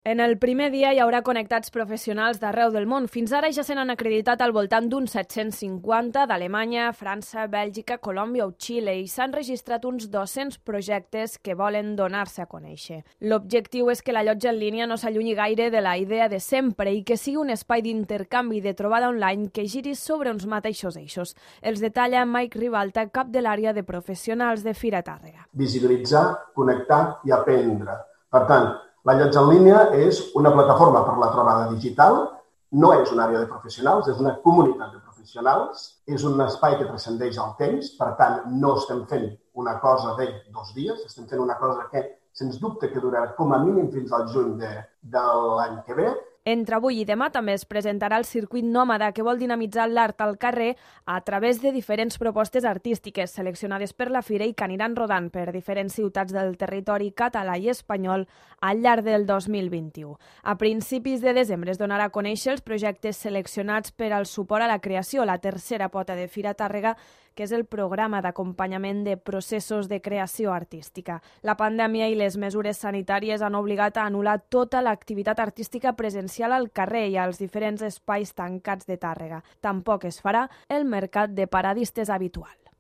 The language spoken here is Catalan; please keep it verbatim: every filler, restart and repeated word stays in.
En el primer dia hi haurà connectats professionals d'arreu del món. Fins ara ja se n'han acreditat al voltant d'uns set-cents cinquanta d'Alemanya, França, Bèlgica, Colòmbia o Xile i s'han registrat uns dos-cents projectes que volen donar-se a conèixer. L'objectiu és que la llotja en línia no s'allunyi gaire de la idea de sempre i que sigui un espai d'intercanvi i de trobada online que giri sobre uns mateixos eixos. Els detalla Mike Ribalta, cap de l'àrea de professionals de Fira Tàrrega. Visibilitzar, connectar i aprendre. Per tant, la llotja en línia és una plataforma per la trobada digital, no és una àrea de professionals, és una comunitat de professionals, és un espai que transcendeix el temps, per tant, no estem fent una cosa de dos dies, estem fent una cosa que, sens dubte, que durarà com a mínim fins al juny de, de l'any que ve. Entre avui i demà també es presentarà el circuit nòmada, que vol dinamitzar l'art al carrer a través de diferents propostes artístiques seleccionades per la Fira i que aniran rodant per diferents ciutats del territori català i espanyol al llarg del dos mil vint-i-u. A principis de desembre es donarà a conèixer els projectes seleccionats per al suport a la creació, la tercera pota de Fira Tàrrega, que és el programa d'acompanyament de processos de creació artística. La pandèmia i les mesures sanitàries han obligat a anul·lar tota l'activitat artística presencial al carrer i als diferents espais tancats de Tàrrega. Tampoc es farà el mercat de paradistes habitual.